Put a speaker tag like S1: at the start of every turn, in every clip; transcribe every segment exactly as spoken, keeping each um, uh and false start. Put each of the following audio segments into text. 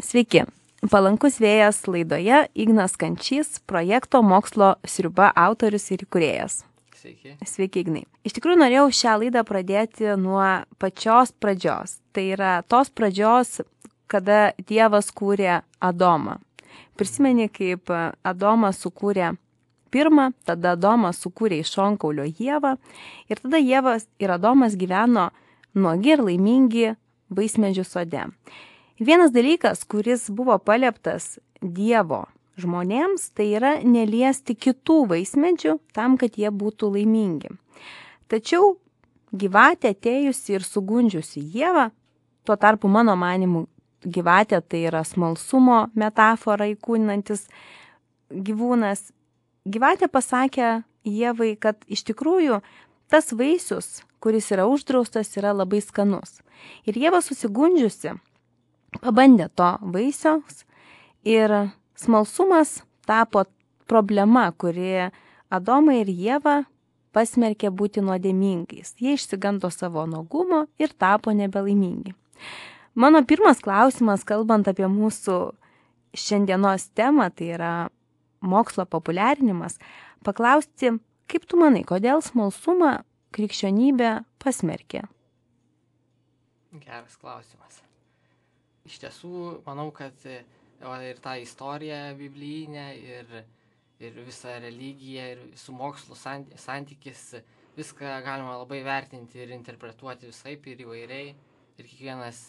S1: Sveiki. Palankus vėjas laidoje Ignas Kančys, projekto Mokslo sriuba autorius ir įkūrėjas.
S2: Sveiki.
S1: Sveiki, Ignai. Iš tikrųjų, norėjau šią laidą pradėti nuo pačios pradžios. Tai yra tos pradžios, kada Dievas kūrė Adomą. Prisimeni, kaip Adomas sukūrė pirmą, tada Adomas sukūrė iš šonkaulio Ievą ir tada Ievas ir Adomas gyveno nuogi ir laimingi vaismedžių sode. Vienas dalykas, kuris buvo palieptas Dievo žmonėms, tai yra neliesti kitų vaismedžių tam, kad jie būtų laimingi. Tačiau gyvatė atėjusi ir sugundžiusi Ievą, tuo tarpu mano manimu gyvatė tai yra smalsumo metafora įkūninantis gyvūnas, gyvatė pasakė Ievai, kad iš tikrųjų tas vaisius, kuris yra uždraustas, yra labai skanus. Ir Ieva susigundžiusi pabandė to vaisiaus ir smalsumas tapo problema, kuri Adomą ir Ievą pasmerkė būti nuodėmingais. Jie išsigando savo nuogumo ir tapo nebelaimingi. Mano pirmas klausimas, kalbant apie mūsų šiandienos temą, tai yra mokslo populiarinimas, paklausti, kaip tu manai, kodėl smalsumą krikščionybė pasmerkė?
S2: Geras klausimas. Iš tiesų, manau, kad ir ta istorija biblijinė, ir, ir visa religija, ir su mokslu santykis, viską galima labai vertinti ir interpretuoti visaip ir įvairiai. Ir kiekvienas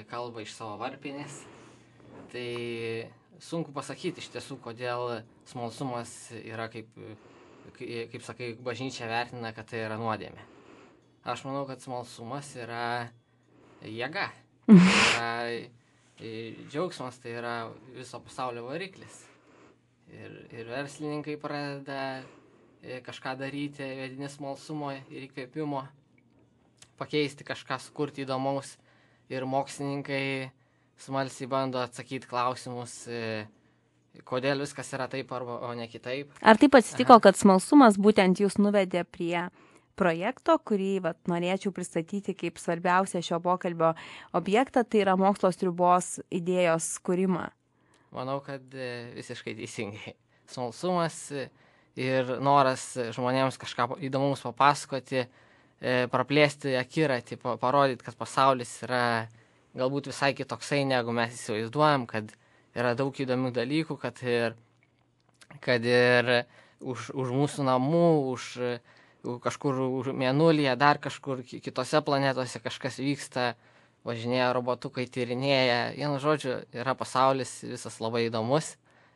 S2: kalba iš savo varpinės. Tai sunku pasakyti iš tiesų, kodėl smalsumas yra, kaip, kaip sakai, bažnyčia vertina, kad tai yra nuodėmė. Aš manau, kad smalsumas yra jėga. Tai yra džiaugsmas, tai yra viso pasaulio variklis. Ir, ir verslininkai pradeda kažką daryti, vedini smalsumo ir įkvėpimo, pakeisti kažką, sukurti įdomaus. Ir mokslininkai smalsiai bando atsakyti klausimus, kodėl viskas yra taip arba o ne kitaip.
S1: Ar taip atsitiko, Aha. kad smalsumas būtent jūs nuvedė prie projekto, kurį vat, norėčiau pristatyti kaip svarbiausią šio pokalbio objektą, tai yra mokslo sriubos idėjos kūrimą?
S2: Manau, kad visiškai teisingai. Smalsumas ir noras žmonėms kažką įdomaus papasakoti, praplėsti akiratį, parodyti, kad pasaulis yra galbūt visai kitoksai, negu mes įsivaizduojam, kad yra daug įdomių dalykų, kad ir, kad ir už, už mūsų namų, už kažkur mėnulyje, dar kažkur kitose planetose kažkas vyksta, važinėja robotukai, tyrinėja. Vienu žodžiu, yra pasaulis visas labai įdomus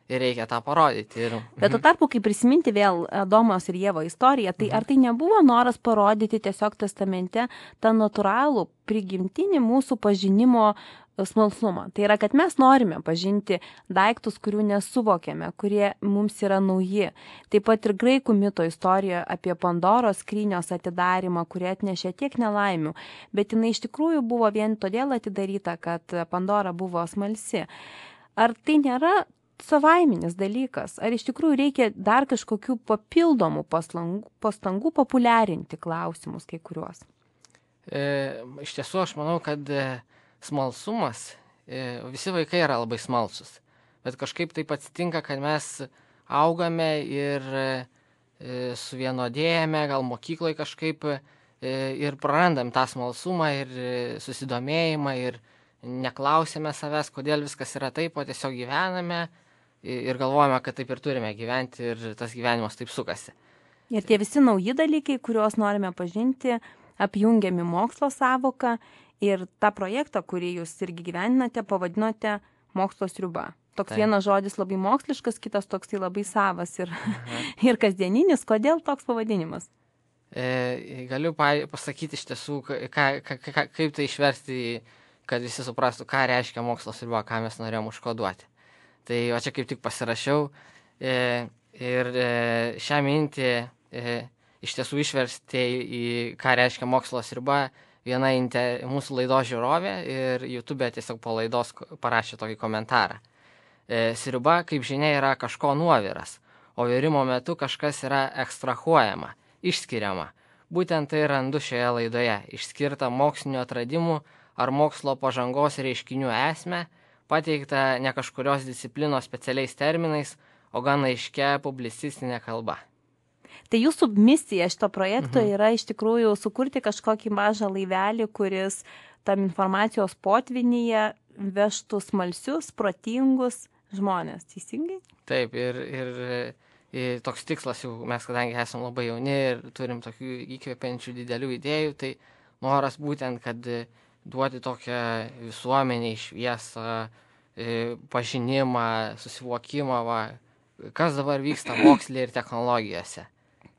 S2: ir reikia tą parodyti. Ir...
S1: Bet tuo tarpu, kai prisiminti vėl Adomos ir Ievo istoriją, tai ar tai nebuvo noras parodyti tiesiog testamente tą natūralų prigimtinį mūsų pažinimo smalsumą? Tai yra, kad mes norime pažinti daiktus, kurių nesuvokėme, kurie mums yra nauji. Taip pat ir graikų mito istorijoje apie Pandoros skrynios atidarimą, kurie atnešė tiek nelaimių, bet jinai iš tikrųjų buvo vien todėl atidaryta, kad Pandora buvo smalsi. Ar tai nėra savaiminis dalykas? Ar iš tikrųjų reikia dar kažkokių papildomų pastangų, pastangų populiarinti klausimus kai kuriuos?
S2: E, iš tiesų, aš manau, kad smalsumas, visi vaikai yra labai smalsus, bet kažkaip taip atsitinka, kad mes augame ir suvienodėjame, gal mokykloje kažkaip ir prarandam tą smalsumą ir susidomėjimą ir neklausėme savęs, kodėl viskas yra taip, o tiesiog gyvename ir galvojame, kad taip ir turime gyventi ir tas gyvenimas taip sukasi.
S1: Ir tie visi nauji dalykai, kuriuos norime pažinti, apjungiami mokslo sąvoką. Ir tą projektą, kurį jūs irgi gyveninate, pavadinote mokslo sriuba. Toks Taip. Vienas žodis labai moksliškas, kitas toksai labai savas ir, ir kasdieninis. Kodėl toks pavadinimas?
S2: E, galiu pasakyti iš tiesų, ką, ką, ką, kaip tai išversti, kad visi suprastų, ką reiškia mokslo sriuba, ką mes norėjom užkoduoti. Tai o čia kaip tik pasirašiau e, ir e, šią mintį e, iš tiesų išversti į ką reiškia mokslo sriuba. Viena inter, mūsų laidos žiūrovė ir YouTube tiesiog po laidos parašė tokį komentarą. E, sriuba, kaip žinia, yra kažko nuoviras, o virimo metu kažkas yra ekstrahuojama, išskiriama. Būtent tai randu šioje laidoje, išskirta mokslinių atradimų ar mokslo pažangos reiškinių esmę, pateikta ne kažkurios disciplinos specialiais terminais, o gan aiškia publicistinė kalba.
S1: Tai jūsų misija šito projekto
S2: Mhm.
S1: yra iš tikrųjų sukurti kažkokį mažą laivelį, kuris tam informacijos potvinyje vežtų smalsius, protingus žmonės, teisingai?
S2: Taip, ir, ir, ir toks tikslas jau, mes kadangi esame labai jauni ir turim tokių įkvepiančių didelių idėjų, tai noras būtent, kad duoti tokią visuomenį šviesą, pažinimą, susivokimą, va, kas dabar vyksta moksle ir technologijose.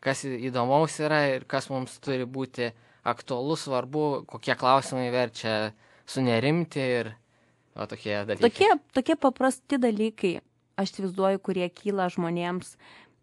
S2: Kas įdomaus yra ir kas mums turi būti aktualu, svarbu, kokie klausimai verčia sunerimti ir o, tokie dalykai.
S1: Tokie, tokie paprasti dalykai, aš įsivaizduoju, kurie kyla žmonėms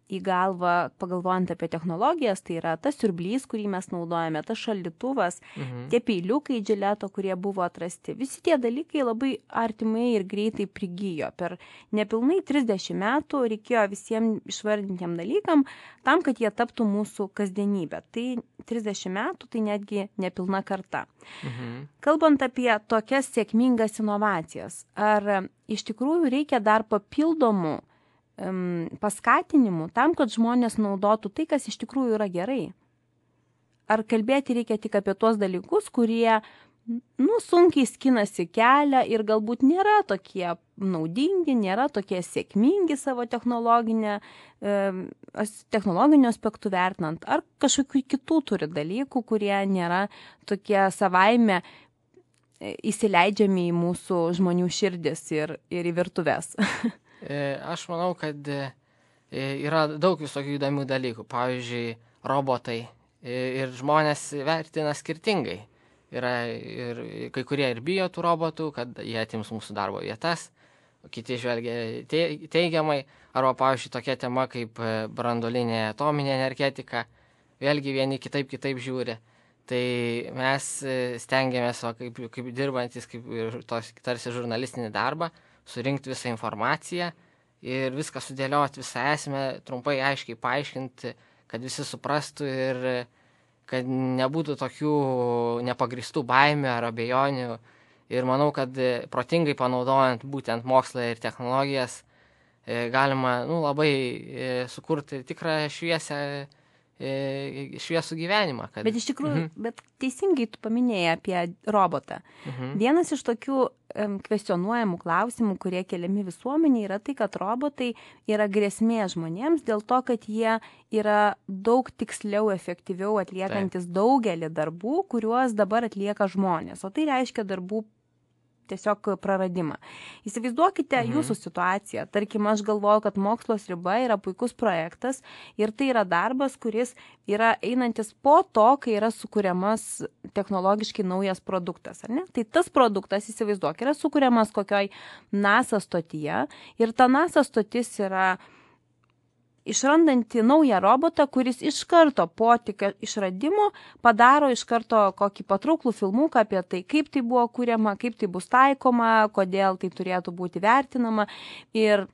S1: į galvą, pagalvojant apie technologijas, tai yra tas siurblys, kurį mes naudojame, tas šaldytuvas,
S2: Mhm.
S1: tie peiliukai džileto, kurie buvo atrasti. Visi tie dalykai labai artimai ir greitai prigijo. Per nepilnai trisdešimt metų reikėjo visiems išvardintiem dalykam tam, kad jie taptų mūsų kasdienybė. Tai trisdešimt metų, tai netgi nepilna karta.
S2: Mhm.
S1: Kalbant apie tokias sėkmingas inovacijas, ar iš tikrųjų reikia dar papildomų um, paskatinimų tam, kad žmonės naudotų tai, kas iš tikrųjų yra gerai? Ar kalbėti reikia tik apie tuos dalykus, kurie, nu, sunkiai skinasi kelią ir galbūt nėra tokie naudingi, nėra tokie sėkmingi savo technologinę, um, technologiniu aspektu vertinant, ar kažkokių kitų turi dalykų, kurie nėra tokie savaime įsileidžiami į mūsų žmonių širdis ir, ir į virtuves?
S2: Aš manau, kad yra daug visokių įdomių dalykų. Pavyzdžiui, robotai ir žmonės vertina skirtingai. Yra ir kai kurie ir bijo tų robotų, kad jie atims mūsų darbo vietas, o kiti žvelgia teigiamai. Arba, pavyzdžiui, tokia tema kaip branduolinė atominė energetika. Vėlgi vieni kitaip kitaip žiūri. Tai mes stengiamės, o kaip, kaip dirbantis, kaip ir tos, tarsi žurnalistinį darbą, surinkti visą informaciją ir viską sudėlioti, visą esmę, trumpai aiškiai paaiškinti, kad visi suprastų ir kad nebūtų tokių nepagristų baimių ar abejonių. Ir manau, kad protingai panaudojant būtent mokslą ir technologijas galima nu, labai sukurti tikrą šviesę, šviesų gyvenimą. Kad...
S1: Bet iš tikrųjų,
S2: mhm.
S1: bet teisingai tu paminėjai apie robotą.
S2: Mhm.
S1: Vienas iš tokių um, kvestionuojamų klausimų, kurie keliami visuomenė, yra tai, kad robotai yra grėsmė žmonėms dėl to, kad jie yra daug tiksliau, efektyviau atliekantis Taip. daugelį darbų, kuriuos dabar atlieka žmonės. O tai reiškia darbų tiesiog praradimą. Įsivaizduokite mhm. jūsų situaciją. Tarkim, aš galvoju, kad Mokslos riba yra puikus projektas ir tai yra darbas, kuris yra einantis po to, kai yra sukūriamas technologiškai naujas produktas, ar ne? Tai tas produktas, įsivaizduok, yra sukūriamas kokioj NASA stotyje ir ta NASA stotis yra išrandanti naują robotą, kuris iš karto po tik išradimo padaro iš karto kokį patrauklų filmuką apie tai, kaip tai buvo kuriama, kaip tai bus taikoma, kodėl tai turėtų būti vertinama ir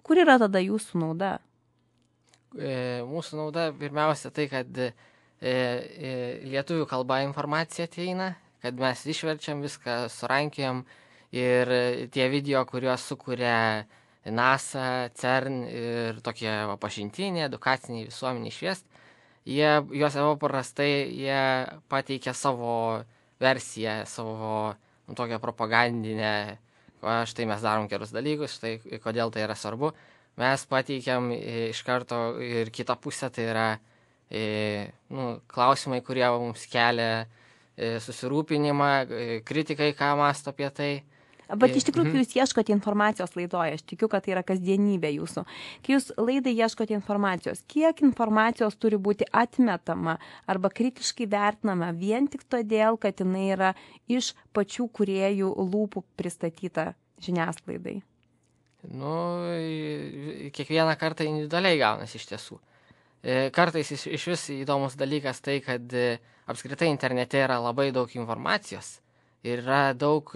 S1: kur yra tada jūsų nauda?
S2: E, mūsų nauda pirmiausia tai, kad e, e, lietuvių kalba informacija ateina, kad mes išverčiam viską, surankiam ir tie video, kuriuos sukuria NASA, CERN ir tokie va, pažintiniai, edukaciniai visuomeniai šviest, jie, juos paprastai jie pateikia savo versiją, savo nu, tokią propagandinę, štai mes darom gerus dalykus, štai kodėl tai yra svarbu. Mes pateikiam iš karto ir kitą pusę, tai yra e, nu, klausimai, kurie mums kelia e, susirūpinimą, e, kritikai, ką mąsto apie tai.
S1: Bet iš tikrųjų, kai jūs ieškote informacijos laidoje, aš tikiu, kad tai yra kasdienybė jūsų. Kai jūs laidai ieškote informacijos, kiek informacijos turi būti atmetama arba kritiškai vertinama vien tik todėl, kad jinai yra iš pačių kūrėjų lūpų pristatyta žiniasklaidai?
S2: Nu, kiekvieną kartą individualiai gaunasi iš tiesų. Kartais iš, iš vis įdomus dalykas tai, kad apskritai internete yra labai daug informacijos ir yra daug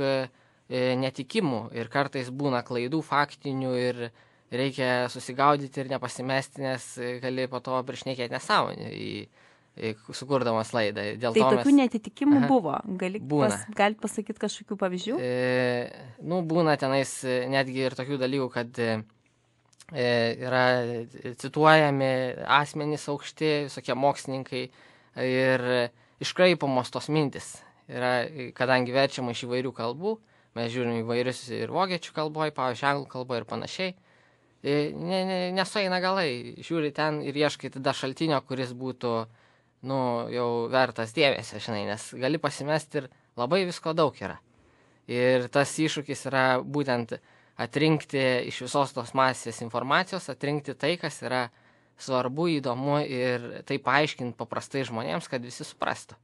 S2: netikimų ir kartais būna klaidų faktinių ir reikia susigaudyti ir nepasimesti, nes gali po to prišnekėti nesąmonę į sukurdamas laidą. Dėl
S1: tai
S2: to
S1: tokių
S2: mes...
S1: netitikimų
S2: Aha.
S1: buvo. Gali
S2: Būna.
S1: pas, galit pasakyti kažkokių pavyzdžių?
S2: E, nu, būna tenais netgi ir tokių dalykų, kad e, yra cituojami asmenys aukšti, visokie mokslininkai ir iškraipomos tos mintis. Yra, kadangi verčiama iš įvairių kalbų, mes žiūrim įvairius ir vokiečių kalboje, pavyzdžiui, anglų kalboje ir panašiai. Ne, ne, nesueina galai, žiūri ten ir ieškai tada šaltinio, kuris būtų, nu, jau vertas dėmesio, žinai, nes gali pasimesti ir labai visko daug yra. Ir tas iššūkis yra būtent atrinkti iš visos tos masės informacijos, atrinkti tai, kas yra svarbu, įdomu ir tai paaiškinti paprastai žmonėms, kad visi suprastų.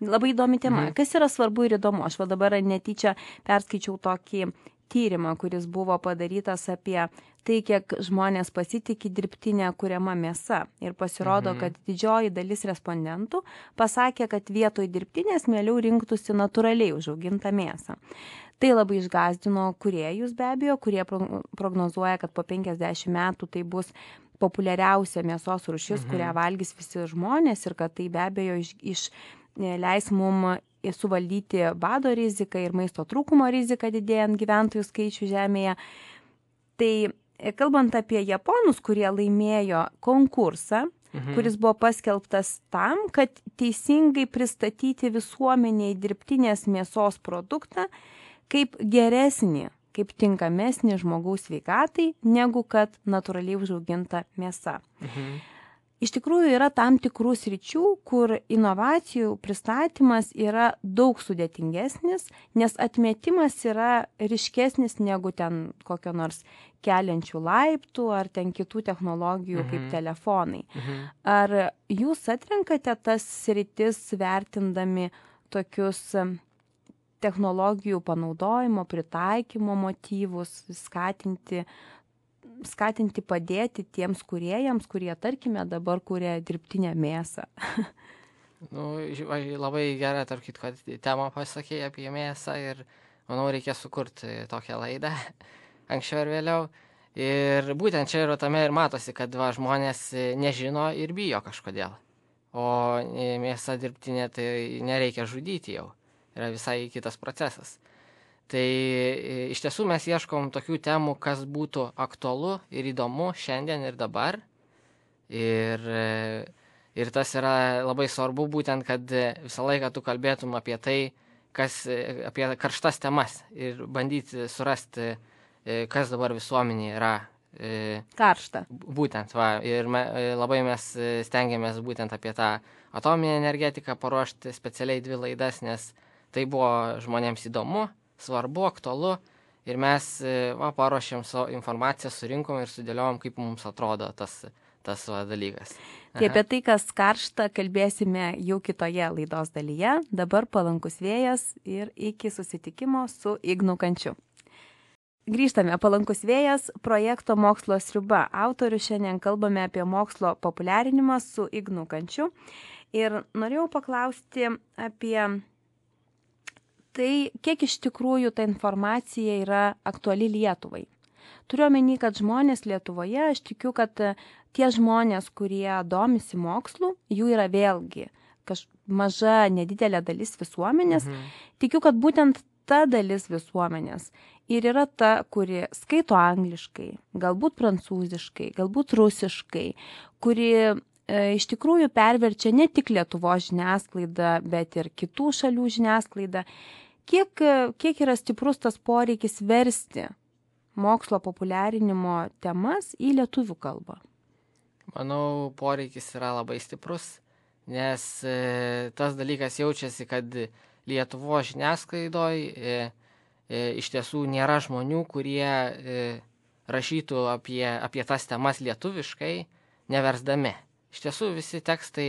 S1: Labai įdomi tema.
S2: Mhm.
S1: Kas yra svarbu ir įdomu? Aš va dabar netyčia perskaičiau tokį tyrimą, kuris buvo padarytas apie tai, kiek žmonės pasitikė dirbtinę kuriamą mėsą. Ir pasirodo,
S2: Mhm.
S1: kad didžioji dalis respondentų pasakė, kad vietoj dirbtinės mieliau rinktųsi natūraliai užaugintą mėsą. Tai labai išgąsdino kūrėjus be abejo, kurie prognozuoja, kad po penkiasdešimt metų tai bus populiariausia mėsos rūšis,
S2: Mhm.
S1: kurią valgys visi žmonės ir kad tai be abejo iš, iš leis mum suvaldyti bado riziką ir maisto trūkumo riziką didėjant gyventojų skaičių žemėje. Tai kalbant apie japonus, kurie laimėjo konkursą, mhm. kuris buvo paskelbtas tam, kad teisingai pristatyti visuomeniai dirbtinės mėsos produktą kaip geresnį, kaip tinkamesnį žmogaus sveikatai, negu kad natūraliai užauginta mėsa.
S2: Mhm.
S1: Iš tikrųjų yra tam tikrų sričių, kur inovacijų pristatymas yra daug sudėtingesnis, nes atmetimas yra ryškesnis negu ten kokio nors keliančių laiptų ar ten kitų technologijų mhm. kaip telefonai.
S2: Mhm.
S1: Ar jūs atrenkate tas sritis vertindami tokius technologijų panaudojimo, pritaikymo motyvus, skatinti skatinti padėti tiems kūrėjams, kurie, tarkime, dabar kuria dirbtinę mėsą.
S2: Nu, labai gerai, tarp kitko, temą pasakėjai apie mėsą ir manau, reikia sukurti tokią laidą anksčiau ir vėliau. Ir būtent čia yra tame ir matosi, kad va, žmonės nežino ir bijo kažkodėl. O mėsą dirbtinė tai nereikia žudyti jau. Yra visai kitas procesas. Tai iš tiesų mes ieškom tokių temų, kas būtų aktualu ir įdomu šiandien ir dabar. Ir, ir tas yra labai svarbu būtent, kad visą laiką tu kalbėtum apie tai, kas, apie karštas temas ir bandyti surasti, kas dabar visuomenėje yra.
S1: Karšta.
S2: Būtent, va, ir me, labai mes stengiamės būtent apie tą atominę energetiką paruošti specialiai dvi laidas, nes tai buvo žmonėms įdomu, svarbu, aktualu ir mes va, paruošėm savo informaciją, surinkom ir sudėliojom, kaip mums atrodo tas, tas va, dalykas. Aha.
S1: Tai apie tai, kas karšta, kalbėsime jau kitoje laidos dalyje. Dabar palankus vėjas ir iki susitikimo su Ignu Kančiu. Grįžtame, palankus vėjas, projekto Mokslo sriuba. Autorių šiandien kalbame apie mokslo populiarinimą su Ignu Kančiu. Ir norėjau paklausti apie tai, kiek iš tikrųjų ta informacija yra aktuali Lietuvai. Turiu omeny, kad žmonės Lietuvoje, aš tikiu, kad tie žmonės, kurie domisi mokslu, jų yra vėlgi kaž, maža, nedidelė dalis visuomenės. Mhm. Tikiu, kad būtent ta dalis visuomenės ir yra ta, kuri skaito angliškai, galbūt prancūziškai, galbūt rusiškai, kuri e, iš tikrųjų perverčia ne tik Lietuvos žiniasklaidą, bet ir kitų šalių žiniasklaidą. Kiek, kiek yra stiprus tas poreikis versti mokslo populiarinimo temas į lietuvių kalbą?
S2: Manau, poreikis yra labai stiprus, nes e, tas dalykas jaučiasi, kad Lietuvos žiniasklaidoje e, e, iš tiesų nėra žmonių, kurie e, rašytų apie, apie tas temas lietuviškai, neversdami. Iš tiesų visi tekstai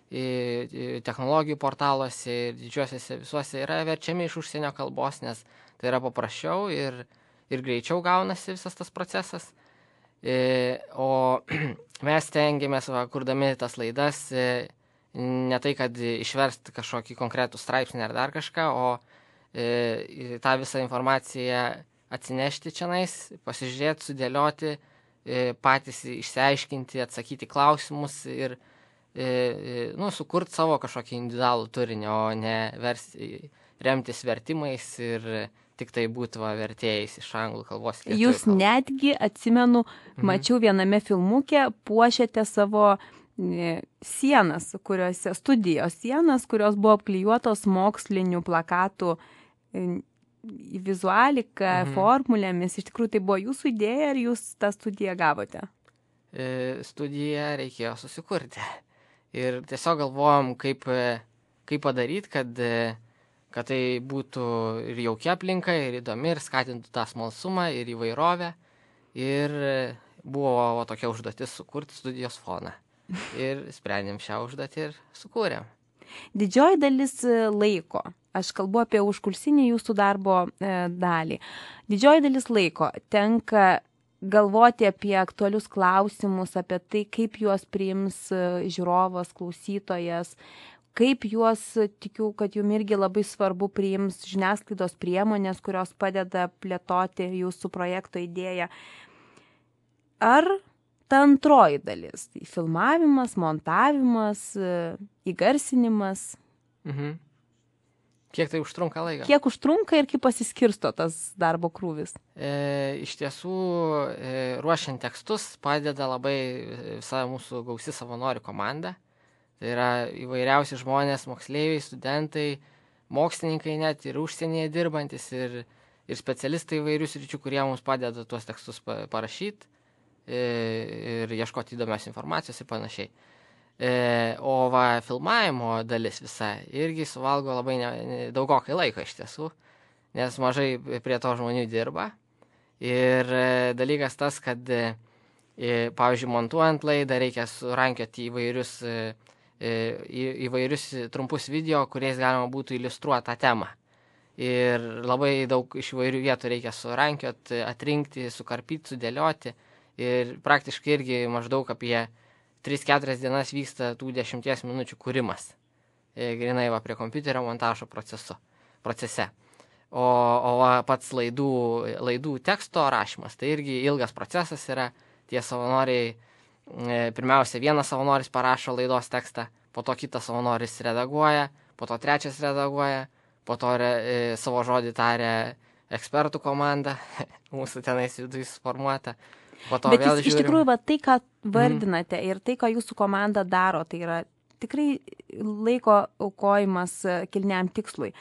S2: technologijų portaluose ir didžiuosiuose visuose yra verčiami iš užsienio kalbos, nes tai yra paprasčiau ir, ir greičiau gaunasi visas tas procesas. E, o mes tengiamės, va, kurdami tas laidas, e, ne tai, kad išversti kažkokį konkretų straipsnį ar dar kažką, o e, tą visą informaciją atsinešti čionais, pasižiūrėti, sudėlioti, e, patys išsiaiškinti, atsakyti klausimus ir nu, sukurti savo kažkokį individualų turinį, o ne vers, remtis vertimais ir tik tai būti va, vertėjais iš anglų kalbos.
S1: Jūs kalbos. Netgi, atsimenu, mhm. mačiau viename filmuke, puošėte savo sienas, kuriuose studijos sienas, kurios buvo apklijuotos mokslinių plakatų vizualika, mhm. formulėmis. Iš tikrųjų, tai buvo jūsų idėja ar jūs tą studiją gavote?
S2: E, studiją reikėjo susikurti. Ir tiesiog galvojom, kaip, kaip padaryti, kad, kad tai būtų ir jaukia aplinka, ir įdomi, ir skatintų tą smalsumą, ir įvairovę. Ir buvo tokia užduotis sukurti studijos foną. Ir sprendėm šią užduotį ir sukūrėm.
S1: Didžioji dalis laiko, aš kalbu apie užkulsinį jūsų darbo e, dalį, didžioji dalis laiko tenka galvoti apie aktualius klausimus, apie tai, kaip juos priims žiūrovas, klausytojas, kaip juos, tikiu, kad jums irgi labai svarbu priims žiniasklaidos priemonės, kurios padeda plėtoti jūsų projekto idėją. Ar ta antroji dalis, tai filmavimas, montavimas, įgarsinimas.
S2: Mhm. Kiek tai užtrunka laiką?
S1: Kiek užtrunka ir kaip pasiskirsto tas darbo krūvis?
S2: E, iš tiesų, e, ruošiant tekstus padeda labai visa mūsų gausi savanorių komanda. Tai yra įvairiausi žmonės, moksleiviai, studentai, mokslininkai net ir užsienyje dirbantis ir, ir specialistai įvairių sričių, kurie mums padeda tuos tekstus parašyti ir ieškoti įdomios informacijos ir panašiai. E, o va, filmavimo dalis visa irgi suvalgo labai ne, ne, daugokai laiko iš tiesų, nes mažai prie to žmonių dirba. Ir e, dalykas tas, kad, e, pavyzdžiui, montuojant laidą reikia surankioti įvairius, e, į, įvairius trumpus video, kuriais galima būtų iliustruoti tą temą. Ir labai daug iš įvairių vietų reikia surankioti, atrinkti, sukarpyti, sudėlioti. Ir praktiškai irgi maždaug apie tris keturias dienas vyksta tų dešimties minučių kūrimas. E, grinai va prie kompiuterio montažo procesu, procese. O, o va, pats laidų, laidų teksto rašymas, tai irgi ilgas procesas yra. Tie savanoriai, e, pirmiausia, vienas savanoris parašo laidos tekstą, po to kitas savanoris redaguoja, po to trečias redaguoja, po to re, e, savo žodį tarė ekspertų komanda, mūsų tenais viduje suformuota.
S1: Bet jūs, iš tikrųjų, va, tai, ką vardinate mm. ir tai, ką jūsų komanda daro, tai yra tikrai laiko aukojimas kilniam tikslui.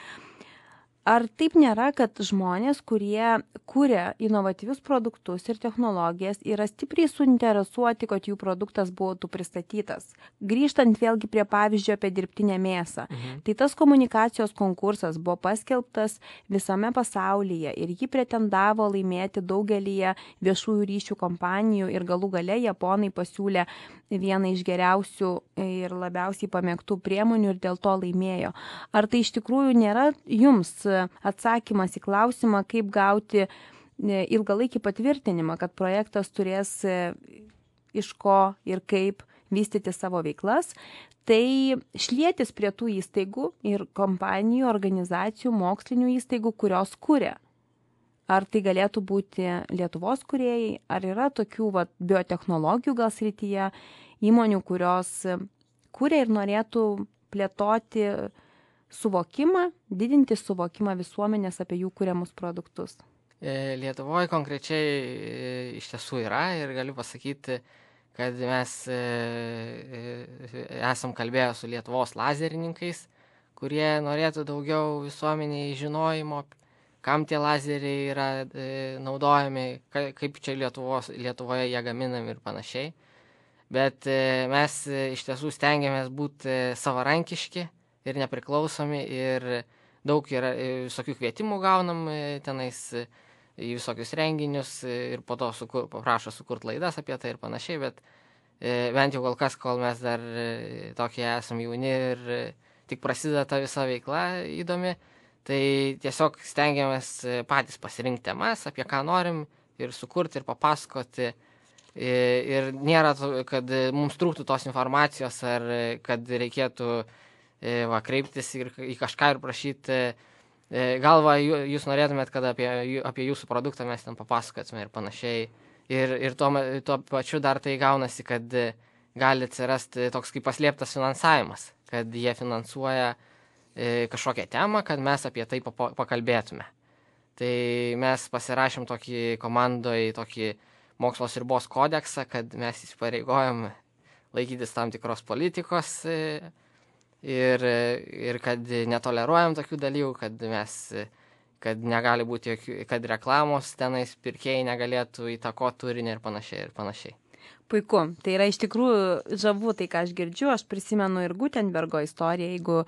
S1: Ar taip nėra, kad žmonės, kurie kuria inovatyvius produktus ir technologijas, yra stipriai suinteresuoti, kad jų produktas būtų pristatytas? Grįžtant vėlgi prie pavyzdžio apie dirbtinę mėsą. Mhm. Tai tas komunikacijos konkursas buvo paskelbtas visame pasaulyje ir jį pretendavo laimėti daugelyje viešųjų ryšių kompanijų ir galų gale japonai pasiūlė vieną iš geriausių ir labiausiai pamėgtų priemonių ir dėl to laimėjo. Ar tai iš tikrųjų nėra jums atsakymas į klausimą, kaip gauti ilgalaikį patvirtinimą, kad projektas turės iš ko ir kaip vystyti savo veiklas, tai šlietis prie tų įstaigų ir kompanijų, organizacijų, mokslinių įstaigų, kurios kuria. Ar tai galėtų būti Lietuvos kūrėjai, ar yra tokių va, biotechnologijų gal srityje įmonių, kurios kuria ir norėtų plėtoti suvokimą, didinti suvokimą visuomenės apie jų kuriamus produktus?
S2: Lietuvoje konkrečiai iš tiesų yra ir galiu pasakyti, kad mes esam kalbėję su Lietuvos lazerininkais, kurie norėtų daugiau visuomeniai žinojimo, kam tie lazeriai yra naudojami, kaip čia Lietuvos, Lietuvoje jie gaminami ir panašiai. Bet mes iš tiesų stengiamės būti savarankiški ir nepriklausomi ir daug yra visokių kvietimų gaunam tenais į visokius renginius ir po to sukur, paprašo sukurti laidas apie tai ir panašiai, bet e, bent jau kol kas, kol mes dar e, tokie esam jauni ir e, tik prasideda ta visa veikla įdomi, tai tiesiog stengiamės patys pasirinkti temas, apie ką norim ir sukurti ir papasakoti. E, ir nėra, kad mums trūktų tos informacijos ar kad reikėtų e, va, kreiptis ir į kažką ir prašyti. Gal va, jūs norėtumėt, kad apie, apie jūsų produktą mes ten papasakotume ir panašiai. Ir, ir tuo, tuo pačiu dar tai gaunasi, kad gali atsirasti toks kaip paslėptas finansavimas, kad jie finansuoja e, kažkokią temą, kad mes apie tai papa- pakalbėtume. Tai mes pasirašėm tokį komandoje, tokį mokslo ribos kodeksą, kad mes įsipareigojom laikytis tam tikros politikos e, ir, ir kad netoleruojam tokių dalykų, kad mes, kad negali būti jokių, kad reklamos tenais pirkėjai negalėtų įtakoti turinį ir panašiai ir panašiai.
S1: Puiku. Tai yra iš tikrųjų žavu tai, ką aš girdžiu. Aš prisimenu ir Gutenbergo istoriją. Jeigu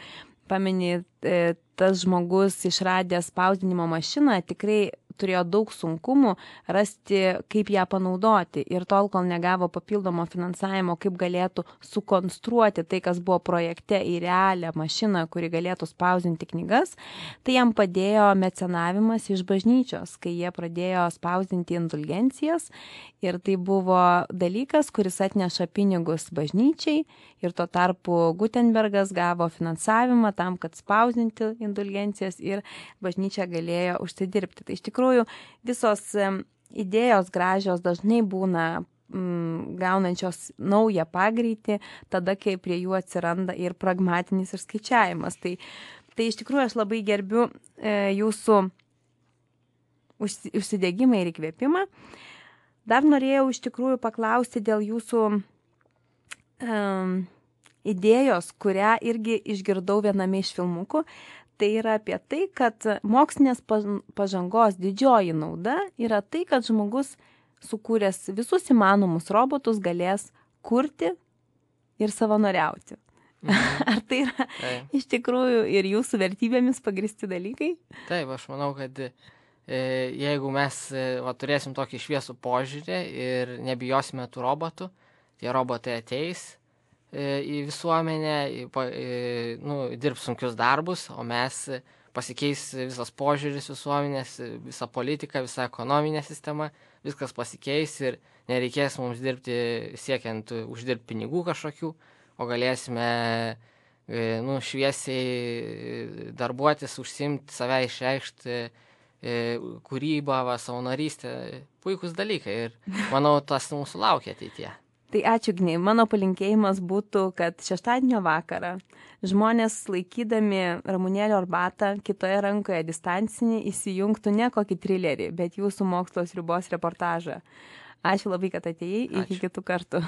S1: pameni, e, tas žmogus išradęs spausdinimo mašiną tikrai turėjo daug sunkumų rasti, kaip ją panaudoti. Ir tol, kol negavo papildomo finansavimo, kaip galėtų sukonstruoti tai, kas buvo projekte į realią mašiną, kuri galėtų spausdinti knygas, tai jam padėjo mecenavimas iš bažnyčios, kai jie pradėjo spausdinti indulgencijas. Ir tai buvo dalykas, kuris atneša pinigus bažnyčiai. Ir tuo tarpu Gutenbergas gavo finansavimą tam, kad spausdinti indulgencijas ir bažnyčia galėjo užsidirbti. Tai iš tikrųjų visos idėjos gražios dažnai būna mm, gaunančios naują pagreitį, tada, kai prie jų atsiranda ir pragmatinis ir skaičiavimas. Tai, tai iš tikrųjų aš labai gerbiu e, jūsų užsi, užsidegimą ir įkvėpimą. Dar norėjau iš tikrųjų paklausti dėl jūsų um, idėjos, kurią irgi išgirdau viename iš filmukų. Tai yra apie tai, kad mokslinės pažangos didžioji nauda yra tai, kad žmogus sukūręs visus įmanomus robotus galės kurti ir savanoriauti. Mhm. Ar tai yra Taip. Iš tikrųjų ir jūsų vertybėmis pagristi dalykai?
S2: Taip, aš manau, kad e, jeigu mes e, va, turėsim tokį šviesų požiūrį ir nebijosime tų robotų, tie robotai ateis į visuomenę, į, į, nu, dirbs sunkius darbus, o mes pasikeis visas požiūris visuomenės, visa politika, visa ekonominė sistema, viskas pasikeis ir nereikės mums dirbti siekiant uždirbti pinigų kažkokių, o galėsime nu, šviesiai darbuotis, užsimti, save išreikšti, kūrybą, va, savanorystę, puikus dalykai ir manau, tas mūsų laukia ateityje.
S1: Tai ačiū, Gnei. Mano palinkėjimas būtų, kad šeštadienio vakarą žmonės laikydami ramunėlio arbatą, kitoje rankoje distancinį, įsijungtų ne kokį trilerį, bet jūsų mokslo ribos reportažą. Ačiū labai, kad atėjai. Iki kitų kartų.